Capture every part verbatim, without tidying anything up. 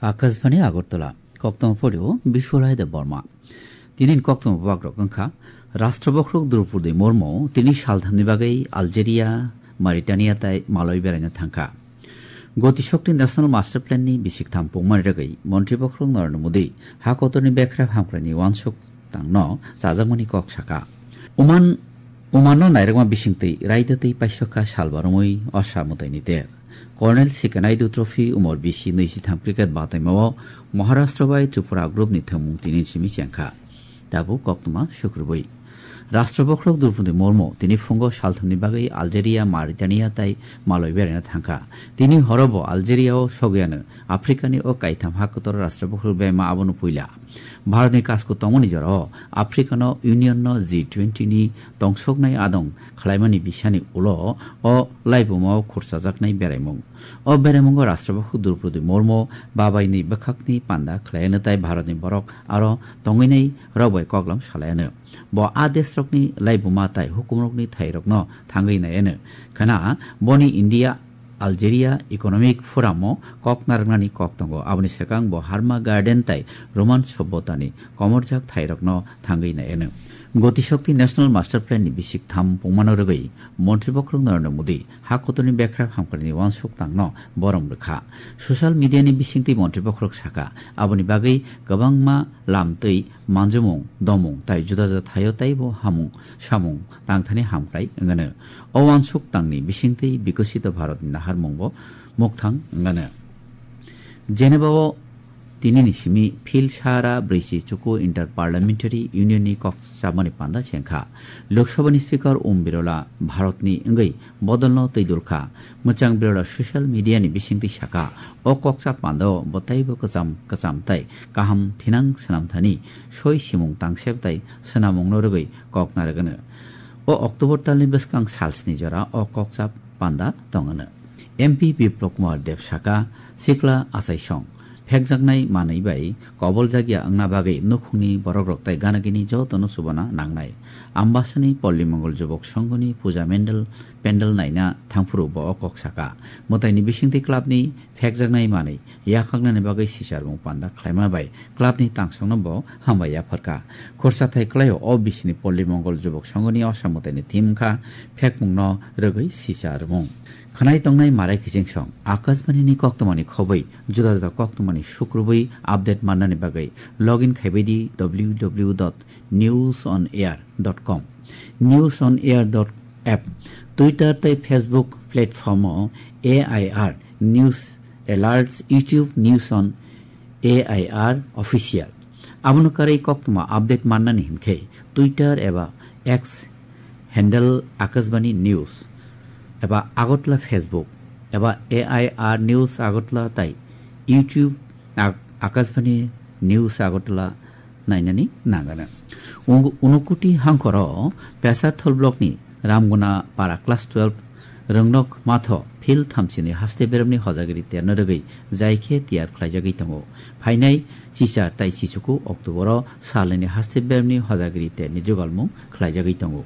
Akashbani Agartala, koktong porio Biswalai Deb Borma. Tini koktong bagrok wngkha, Rashtra Bokhorok Droupadi Murmu tini salthamni bagwi Algeria, Mauritania tai Malawi beraina thangkha. Goti Shakti National Master Plan ni bisik tham pungmani rwgwi Montri Bokhorok Narendra Modi ha kotorni bekrap hamkraini uansuk tangno chajakmani kok saka. Uman, Umanno nairokma bisingtwi raida twi paisokha sal baromwi osa mwtaini ter. Colonel Sikanaidu Trophy umor bisi nwi sitham cricket bataimao Maharashtra bai Tripura group ni thwngmung tini simi chengkha. Tabuk koktwma sukrubwi. Rashtra Bokhorok Droupadi Murmu tini phungo salthamni bagwi Algeria, Mauritania tai Malawi beraina thangkha. Tini horo bo Algeria o sogwiano Africa ni o kaitham ha kotor Rashtra Bokhorok bema abono puila. Bharatni kasku tongmani jorao Africano Unionno G twenty ni tongsoknai adong khlaimani bisani ulo o laibumao khurchajaknai beraimung. O beraimungo Rashtra Bokhorok Droupadi Murmu babaini bwkhakni panda khlaiano tai Bharatni borok aro tongwinai rok bai koklam salaiano. Bo a desrokni laibuma tai hukumrokni thairokno thangwi naiano. Khana boni India Algeria Economic Forum o kok narwknani kok tongo. Aboni swkang bo Harma Garden tai Roman Sobbotani komorjak thairokno thangwi naiano. Goti Shakti National Master Plan ni bisik tham pungmano rwgwi Montri Bokhorok Narendra Modi ha kotorni bekrap hamkrakni uansuk tangno borom rwkha. Social media ni bisingtwi Montri Bokhorok saka, aboni bagwi kwbangma lam twi manjumung, domung tai juda juda thaio taibo hamung samung tangthani hamkrai wngano. O uansuk tangni bisingtwi Bikosito Bharatni naharmungbo mukthang wngano. Geneva o tinini simi Phil Sara brwichi chuku Inter Parliamentary Union ni kok chamani panda chengkha. Lok Sabha ni Speaker Om Birla Bharatni wngwi bodolno twi dulkha. Mwchang Birla social media ni bisingtwi saka, o kokcha pandao bo taibo kwcham kwcham tai kaham thinang swnamthani soi simung tangsep tai swnamungno rwgwi kok narwgwno. O October talni bwskang salsni jora o kokcha panda tongwno. M P Biplab Kumar Deb saka, sikla achaisong phekjaknai manwi bai koboljakya wngna bagwi nukhungni borokrok tai ganagini jotono chubana nangnai. Ambasani Polli Mongol Jubok Songhoni puja mendel, pendel naina thangphuru bo o kok saka. Mwtaini bisingtwi clubni phekjaknai manwi yakhaknani bagwi sicharmung panda khlaima bai clubni tangsongno bo hambai yapharkha. Khorsa thai kwlaio o bisini Polli Mongol Jubok Songhoni osa mwtaini theme wngkha phekmungno rwgwi sicharmung. Khwnai tongnai Marai Kichingsong, Akashbani ni koktwmani khobwi juda juda koktwmani sukrubwi update mannani bagwi login khaibai di w w w dot news on air dot com, news on air dot app, Twitter tei Facebook platform o A I R News Alerts, YouTube News on A I R Official. Abono karwi koktwma update mannani hinkhe Twitter eba X handle Akashbani News eba Agartala Facebook eba A I R News Agartala tai YouTube Ak-, Akashbani News Agartala nainani nangano. Ung-, Unukuti hangkoro Pesarthal blockni Ramguna para class twelve rwngnok matho phil thamchini haste beremni hojagiri terno rwgwi jaikhe tiyar khlaijagwi tongo. Phainai chicha tai chichuku October o salnini haste beremni hojagiri terni jugalmung khlaijagwi tongo.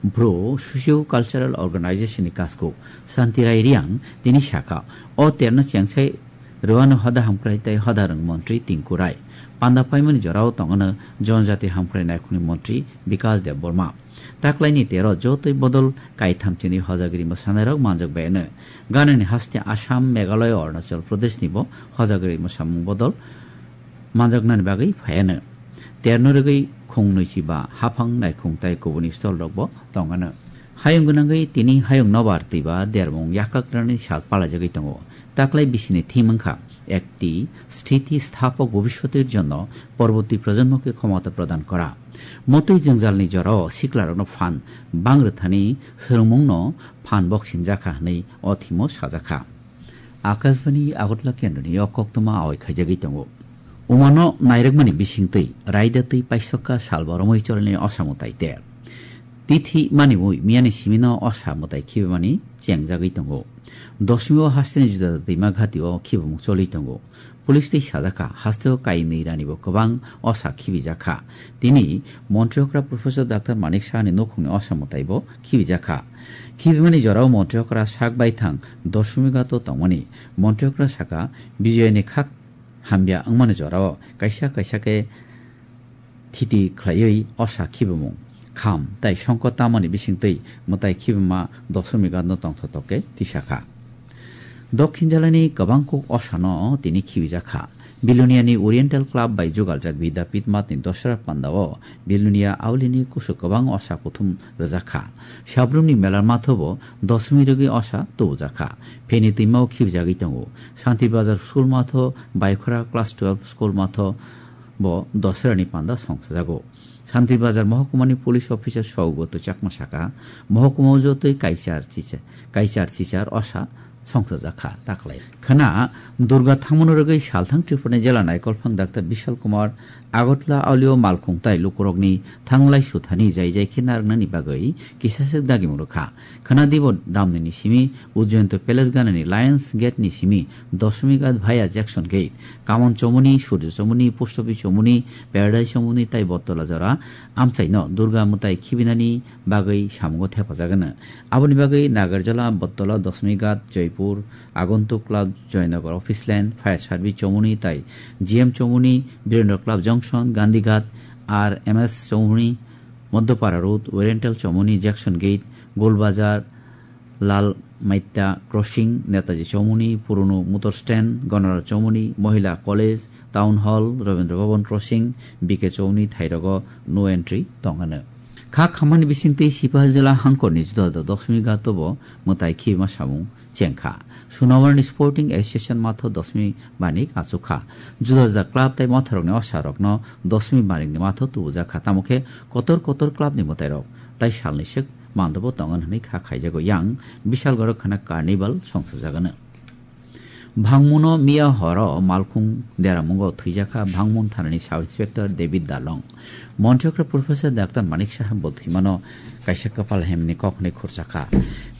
Bru Socio Cultural Organization ni kasku Santi Rai Riang tini saka, o terno chengsai rwano hoda hamkrai tai hoda rwng montri Tinku Rai. Panda paimani jorao tongano Jonjati Hamkrai Naikhungni montri Bikas Deb Borma. Taklaini tero jotoi bodol kaithamchini hojagiri mwsanairok manjak bayano. Ganani haste Assam, Meghalaya, Arunachal Pradesh ni bo hojagiri mwsamung bodol manjaknani bagwi phaiano. Terno rwgwi khung nwichiba haphang naikhung tai kubuni stolrok bo tongano. Hayung gwnangwi tini hayung nobar twiba dermung yakkak rwnani sal palajagwi tongo. Taklai bisini theme wngkha, একটি স্থিতিস্থাপক ভবিষ্যতের জন্য পরবর্তী প্রজন্মকে ক্ষমতা প্রদান করা. Motwi jwngjalni jorao siklarokno phan bang rwthani swrwngmungno phan boksinjakha hwnwi o thimo sajakha. Akashbani Agartala kendroni o koktwma awai khaijagwi tongo. Umano nairwkmani bisingtwi raida twi paisokha sal boromwi chorani osa mwtai ter. Tithi maniwi miyani simino osa mwtai khibimani chengjagwi tongo. Dosmio hasteni juda juda twima ghatio khibimung choli tongo. Police tei sajak kha, hasteo kainwi rani bo kwbang osa khibijak kha. Tini Montri okra Professor Doctor Manik Saha ni nukhungni osa mwtai bo khibijak kha. Khibimani jorao Montri okra sak baithang Doshmi Ghat o tongmani. Montri okra saka, Bijoyani khak hamya wngmani jorao kaisa kaisa khe thiti khlaiwi osa khibimung, kham tai songkot tamani bisingtwi mwtai khibima Doshmi Ghat no tongthotok khe tisa kha. Dokhin jalani kwbang kuk osa no tini khibijak kha. Biluniani Oriental Club bai jugaljak Vidyapith Math ni Dasra panda o Bilunia aulini kusu kwbang osa kuthum rwjak kha. Sabrumni melar matho bo Doshmi rwgwi osa tubujak kha. Pheni twima o khibijagwi tongo. Santri Bazar school matho, Baikhora class twelve school matho bo Dasra ni panda songsajago. Santri Bazar Mohokumani police officer Saugoto Chakma saka, Mohokuma o jotoi kaichar chichar, kaichar chichar osa songsajak kha taklai. Khwna Durga thangmano rwgwi salthang Tripurani jela naikolphang Doctor Bishal Kumar Agartala aulio malkhung tai lukurokni thanglai suthani jai jai khe narwknani bagwi kisaswk dagimung rwkha. Khwna Dibo damnini simi Ujjayanta Palace ganani Lions Gate ni simi Doshmi Ghat via Jackson Gate, Kamon Chomoni, Surjo Chomoni, Post Office Chomoni, Paradise Chomoni tai Bottola jora amchaino Durga mwtai khibinani bagwi samungo thepajagano. Aboni bagwi Nagarjola, Bottola, Doshmi Ghat, Joypur, Agantuk Club, Joynagar Office Line, Fire Service Chomoni tai G M Chomoni, Birendra Club Junction, Gandhi Ghat, R M S Chomoni, Madhyapara Road, Oriental Chomoni, Jackson Gate, Golbazar, Lal Maita Crossing, Netaji Chomoni, Purono Motor Stand, Ganara Chomoni, Mohila College, Town Hall, Rabindra Bhavan Crossing, B K Chomoni thairogo no entry tongano. Kha khamani bisingtwi Sipahijala hangkorni juda juda Doshmi Ghat o bo mwtai khibima samung chengkha. Sunamarni Sporting Association matho Doshmi banik achukha. Juda juda club tai motharokni osarokno Doshmi banikni matho tubujakha. Tamo khe kotor kotor clubni mwtairok tai salni swk mandobo tongo hwnwi kha khaijago. Yang Bishalgoro khwna carnival songsajagano. Bhangmuno miya horo malkhung deramungo thwijakha Bhangmun thanani Sub Inspector David Darlong. Montri okra Professor Doctor Manik Saha bo thwimano kaisa kwpal hemni kok hwnwi khurchakha.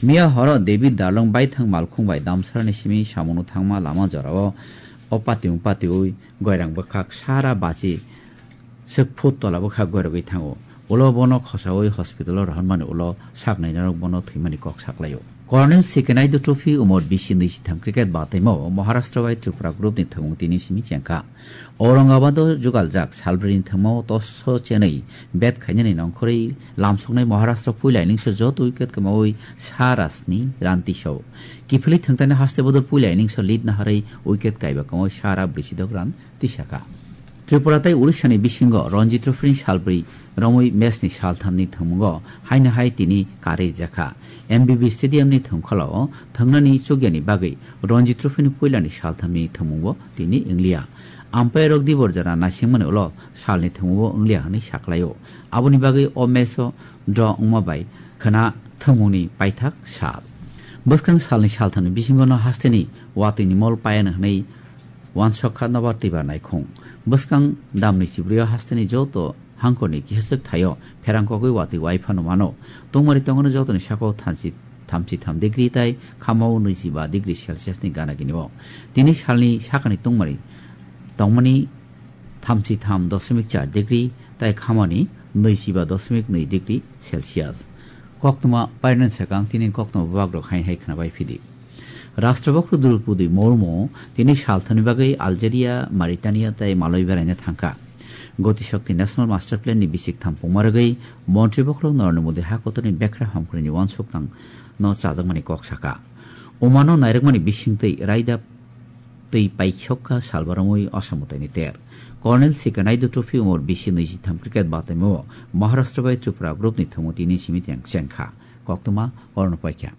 Miya horo David Darlong baithang malkhung bai damsarani simi samungo thangma lama jorao o patiung patiui goirang bwkhak sara bachi swk phut tola bwkhak goirogwi thango. Ulo bono khosaui hospital o rohormani ulo saknainarok bono thwimani kok saklaio. Colonel Sikenaidu Trophy Umor bisi nwi sitham cricket bataimo Maharashtra bai Tripura group ni thwngmung tini simi chengkha. Aurangabad o jugaljak salbrini thwngmao toss o chenwi bat khainani nongkhorwi lamsoknai Maharashtra puila innings o joto wicket kwmaui sa ra sni run tisao. Kiphilwi thwngthani haste bodol puila innings o lead naharwi wicket kaiba kwmaui sa ra brwichidok run tisakha. Tripura tei Odisha ni bisingo Ranji Trophy ni salbri romwi match ni saltham ni thwngmungo haino hai tini karwi jakha. M B B Stadium ni thwngkholo thwngnani chukyani bagwi Ranji Trophy ni puila ni saltham ni thwngmungbo tini wngliya. Umpire rok dibor jora naisingmani ulo salni thwngmungbo wngliya hwnwi saklaio. Aboni bagwi o match o draw wngma bai khwna thwngmungni paithak sal. Bwskang salni saltham ni bisingo no haste ni watwi ni mol payano hwnwi wansok kha nobar twibar naikhung. Bwskang damni chibrwi o hasteni joto hangkorni kisaswk thaio pherang kogwi watwi wai phano mano. Tungmari tongmani jotoni sakao thanchi, thamchi tham degree tai khamao nwichi ba degree Celsius ni gana gini o. Tini salni sakani tungmari tongmani thamchi tham doshmik char degree tai khamani nwichi ba doshmik nwi degree Celsius. Koktwma painani sakang tini koktwma bubagrok hai hai khwnabai phidi. Rashtrapati Droupadi Murmu tini salthani bagwi Algeria, Mauritania tei Malawi beraina thangkha. Goti Shakti National Master Plan ni bisik thampungma rwgwi Montri Bokhorok Narendra Modi hakotorni bekra hamkhrwini uansuk tang no chajakmani kok saka. Omano nairwkmani bisingtwi raida twi paikhokha salbaromwi osamwtaini ter. Colonel Sikenaidu Trophy umor bisi nwi sitham cricket bataimao Maharashtra bai Tripura group ni thwngmung tini simi teng chengkha. Koktwma orono paikha.